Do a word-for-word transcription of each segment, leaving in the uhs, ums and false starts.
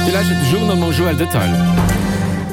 Dir lauschtert de Journal mam Joël Detail.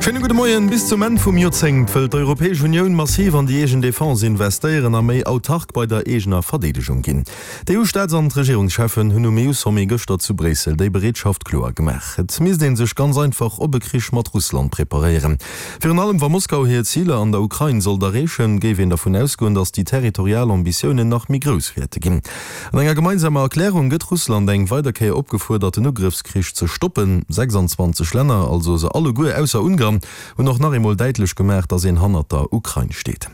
Schéine gudde Moien. Bis zum Enn vum Joerzéngt wëll d'Europäesch Unioun massiv an déi eegen Defense investéieren a méi autark bei der eegener Verdeedegung ginn. D'EU-Staats an d'Regierungscheffen hunn um EU-Sommet gëschter zu Bréissel déi Bereetschaft kloer gemaach. Et misst ee sech ganz einfach op e Krich mat Russland preparéieren. Virun allem wa Moskau hir Ziler an der Ukrain sollt erreechen, géif een dervun ausgoen, datt déi territorial Ambitiounen nach méi grouss wäerte ginn. An enger gemeinsamer Erklärung gëtt Russland eng weider Kéier opgefuerdert, den Ugrëffskrich ze stoppen. sechsanzwanzeg Länner, also se alleguer ausser Ungarn, hunn och nach eemol däitlech gemaach, datt een hannert der Ukrain steet.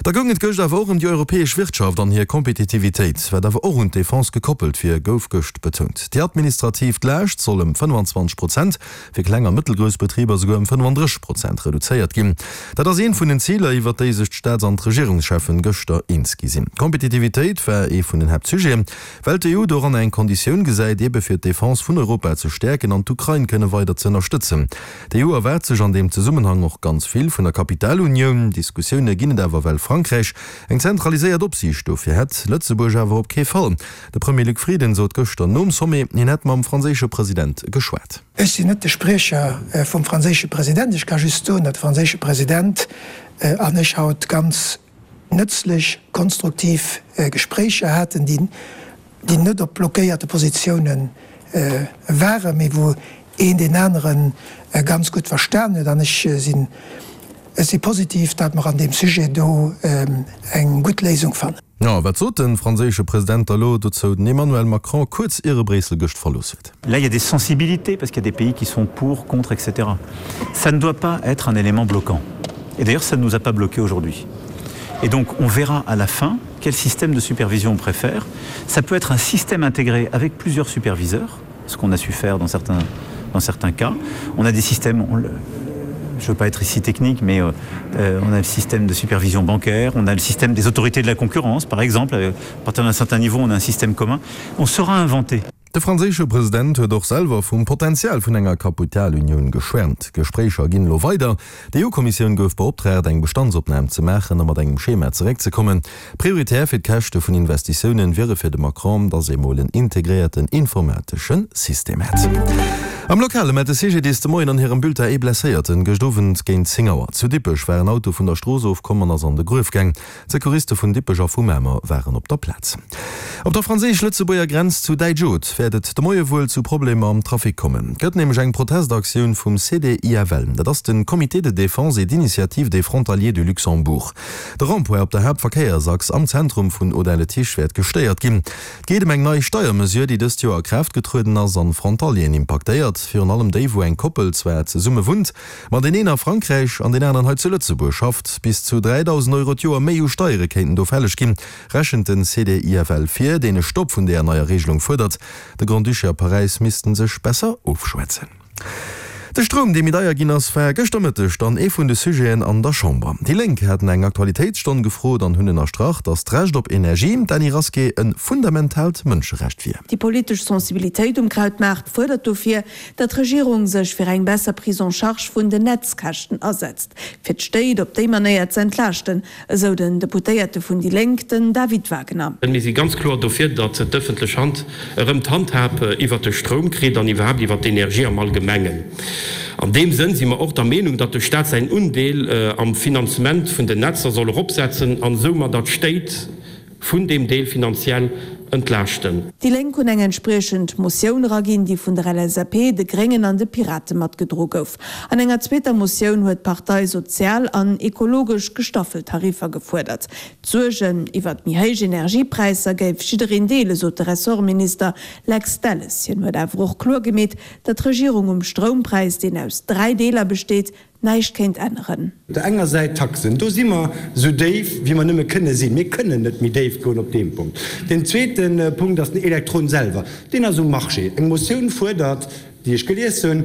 Da goung et gëscht awer och ëm déi europäesch Wirtschaft an hir Kompetitivitéit, wat awer och un d'Defense gekoppelt wier, gouf gëscht betount. Déi administrativ Laascht soll ëm fënnfanzwanzeg Prozent, fir kleng a mëttelgrouss Betriber souguer ëm fënnfandrësseg Prozent reduzéiert ginn. Dat ass eent vun den Ziler, iwwert déi sech d'Staats an d'Regierungscheffen gëschter eens gi sinn. Kompetitivitéit war ee vun den Haaptsujeten, well d'EU doranner eng Konditioun gesäit, ebe fir d'Defense vun Europa ze stäerken an d'Ukrain kënne weider ze ënnerstëtzen. D'EU erwaart sech an deem Zesummenhang och ganz vill vun der Kapitalunioun. Diskussioune ginn et awer, well Frankräich eng zentraliséiert Opsiicht dofir hätt, Lëtzebuerg awer op kee Fall. De Premier Luc Frieden sot gëschter nom Sommet, hien hätt mam franséische President geschwat. Ech sinn net de Spriecher vum franséische President. Ech ka just soen, datt de franséische President an ech haut ganz nëtzlech, konstruktiv Gespréicher haten, déi net op blockéierte Positioune waren, mee wou een deen anere ganz gutt verstan huet. An ech sinn, ech si positiv, datt mer an deem Sujet do eng gutt Léisung fannen. Jo, wat sot de franséische President da lo dozou, den Emmanuel Macron, kuerz ier e Bréissel gëscht verlooss huet? Là, il y a des sensibilités, parce qu'il y a des pays qui sont pour, contre, et cetera. Ça ne doit pas être un élément bloquant. Et d'ailleurs, ça ne nous a pas bloqué aujourd'hui. Et donc, on verra à la fin quel système de supervision on préfère. Ça peut être un système intégré avec plusieurs superviseurs, ce qu'on a su faire dans certains, dans certains cas. On a des systèmes, on le, je veux pas être ici technique, mais euh, euh, on a le système de supervision bancaire, on a le système des autorités de la concurrence, par exemple. À partir d'un certain niveau, on a un système commun. On saura inventer. De franséische President huet och selwer vum Potenzial vun enger Kapitalunioun geschwärmt. D'Gespréicher ginn elo weider. D'EU-Kommissioun gouf beoptraagt, eng Bestandsopnam ze maachen a mat engem Schema zeréckzekommen. Prioritär fir d'Käschte vun Investitiounen wiere fir de Macron, datt ee mol en integréierten informatesche System hätt. Am Lokale mellt de C G D S de Moien an hirem Bulletin ee Blesséierten. Gëscht Owend géint zéng Auer zu Dippech war en Auto vun der Strooss ofkomm an ass an de Gruef gaang. D'Secouriste vun Dippech a vu Mamer waren op der Plaz. Op der franséisch-lëtzebuerger Grenz zu Däitsch-Oth wäert et de Moie wuel zu Problemer am Trafic kommen. Et gëtt nämlech eng Protestaktioun vum C D I F L. Dat ass de Comité de défense et d'initiative des frontaliers du Luxembourg. De Rond-point op der Haaptverkéiersachs am Zentrum vun Audin-le-Tiche wäert gestéiert ginn. Et geet ëm eng nei Steiermesure, déi dëst Joer a Kraaft getrueden ass an Frontalieren impaktéiert. Virun allem déi, wou eng Koppel zwar zesumme wunnt, ma deen een a Frankräich an deen aneren hei zu Lëtzebuerg schafft. Bis zu dräidausend Euro d'Joer méi u Steiere kéinten do fälleg ginn, rechent den C D I F L vir, deen e Stopp vun deeër neier Regelung fuerdert. De Grand-Duché a Paräis missten sech besser ofschwätzen. De Stroum, dee méi deier ginn ass, war gëschter Mëtteg dann ee vun de Sujeten an der Chamber. Déi Lénk haten eng Aktualitéitsstonn gefrot an hunn ënnerstrach, datt d'Recht op Energie, d'Dany Rasqué, e fundamentaalt Mënscherecht wier. Déi politesch Sensibilitéit um Krautmaart fuerdert dofir, datt d'Regierung sech fir eng besser Prise en charge vun den Netzkäschten asetzt, fir d'Stéit op déi Manéier ze entlaaschten, esou den Deputéierte vun déi Lénk, den David Wagner. Mir si ganz kloer dofir, datt d'ëffentlech Hand erëm d'Handhab iwwert de Stroum kritt an iwwerhaapt iwwert d'Energie am Allgemengen. An deem Sënn si mer och der Meenung, datt de Staat säin Undeel am Finanzement vun den Netzer soll eropsetzen an soumadder d'Stéit vun deem Deel finanziell entlaaschten. Déi Lénk hunn eng entspriechend Motioun eraginn, déi vun der L S A P, de Gréngen an de Pirate matgedro gouf. An enger zweeter Motioun huet d'Partei sozial an ekologesch gestaffelt Tariffer gefuerdert. D'Suergen iwwert méi héich Energiepräisser géif jiddereen deelen, sot de Ressortminister Lex Delles. Hien huet awer och kloer gemeet, datt d'Regierung um Stroumpräis, deen aus dräi Deeler besteet, näischt kéint änneren. Op der enger Säit d'Taxen, do si mer esou déif wéi mer nëmme kënne sinn. Mir kënnen net méi déif goen op deem Punkt. Deen zweete Punkt ass den Elektron selwer, deen ass um Marché. Eng Motioun fuerdert, déi ech gelies hunn,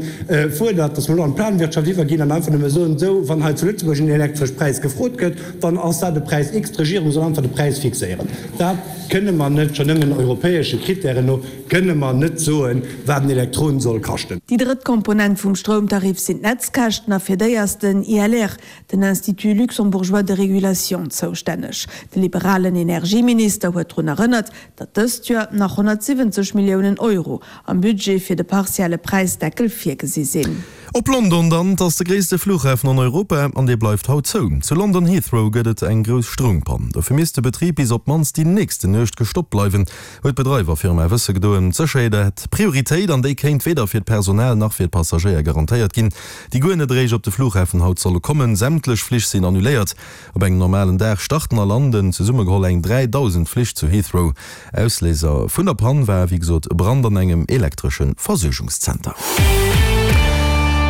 fuerdert, datt mer elo an d'Planwirtschaft iwwerginn an einfach nëmme soen, esou, wann hei zu Lëtzebuerg en elektresch Präis gefrot gëtt, dann ass dat e Präis X, d'Regierung soll einfach de Präis fixéieren. Dat kënne mer net, schonn nëmmen europäesche Kritären no kënne mer net soen, wat en Elektron soll kaschten. Déi drëtt Komponent vum Stroumtarif sinn d'Netzkäschten a fir déi ass den I L R, den Institut luxembourgeois de régulation, zoustänneg. De liberalen Energieminister huet drun erënnert, datt dëst Joer nach honnertsiwwenzeg Milliounen Euro am Budget fir de partielle Präisdeckel virgesi sinn. Op London dann, Et ass de gréisste Flughafen an Europa an dee bleift haut zou. Zu London Heathrow gëtt et eng grouss Stroumpann. Dofir misst de Betrib bis op d'mannst déi nächste Nuecht gestoppt bleiwen, huet d'Bedreiwerfirma wësse gedoen. D'Sécherheet hätt Prioritéit an déi kéint weder fir d'Personal nach fir d'Passagéier garantéiert ginn, déi guer net eréischt op de Flughafen haut solle kommen. Sämtlech Flich sinn annuléiert. Op engem normalen Dag starten a landen zesummegeholl eng dräidausend Flich zu Heathrow. Ausléiser vun der Pann war wéi gesot e Brand an engem elektresche Versuergungszenter.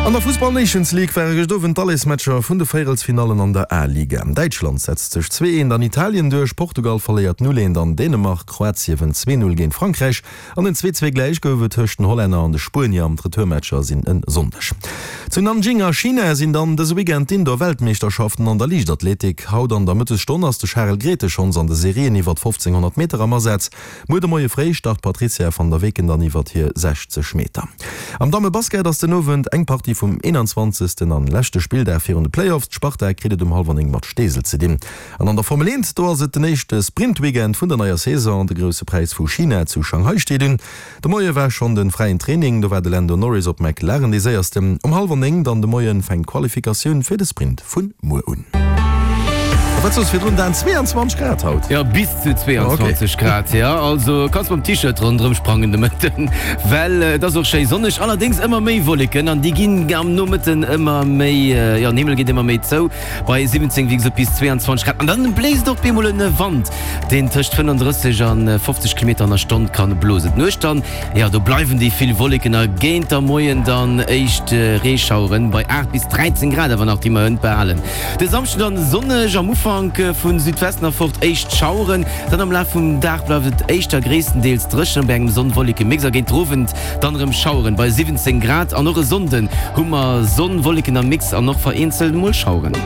An der Fussball Nations League ware gëscht Owend d'Allesmatcher vun de Véierelsfinallen an der A-Liga. Däitschland setzt sech zwee eent an Italien duerch, Portugal verléiert null eent an Dänemark, Kroatie wënnt zwee null géint Frankräich an en zwee zwee gläich gouf et tëscht den Hollänner an de Spuenier. D'Retourmatcher sinn e Sonndeg. Zu Nanjing a China sinn dann dëse Weekend d'Indoor-Weltmeeschterschaften an der Liichtathletik. Haut an der Mëttesstonn ass de Charel Grethe schonns an de Serien iwwert fofzénghonnert Meter am Asaz. Muer de Moie fréi start d'Patrizia van der Weken dann iwwert hir sechzeg Meter. Am Damme-Basket ass den Owend eng Partie vum eenanzwanzegsten an leschte Spilldag virun de Playoffs. D'Sparta kritt et um hallwer néng mat Steesel ze dinn. An an der Formel eent, do ass et den éischte Sprint-Weekend vun der neier Saison. De Grousse Präis vu China zu Shanghai steet un. De Moie war schonn de fräien Training, do war de Lando Norris op McLaren dee séiersten. Um hallwer néng dann de Moien fänkt d'Qualifikatioun fir de Sprint vun muer un. A wat soss virdrun, Dan? zweeanzwanzeg Grad haut? Jo, bis zu zweeanzwanzeg Grad, jo. Also kanns mam T-Shirt ronderëm sprangen de Mëtten, well et ass och schéi sonneg. Allerdéngs ëmmer méi Wolleken an déi ginn am Nomëtten ëmmer méi, jo, den Himmel geet ëmmer méi zou bei siwwenzéng, wéi gesot, bis zweeanzwanzeg Grad. An dann bléist och bemol en Wand, deen tëscht fënnenddrësseg an fofzeg Kilometer an der Stonn kann blosen. D'Nuecht dann, jo, do bleiwen déi vill Wolleken a géint der Moien dann éischt Reeschaueren bei aacht bis dräizéng Grad awer nach, déi mer hënt behalen. De Samschden dann sonneg, am Ufank vu Südwesten erfort éischt Schaueren, dann am Laf vum Dag bleift et éischter gréisstendeels dréchen bei engem Sonn-Wolleke-Mix a géint den Owend dann erëm Schaueren bei siwwenzéng Grad. An och e Sonnden hu mer Sonn, Wolleken am Mix an och vereenzelt mol Schaueren.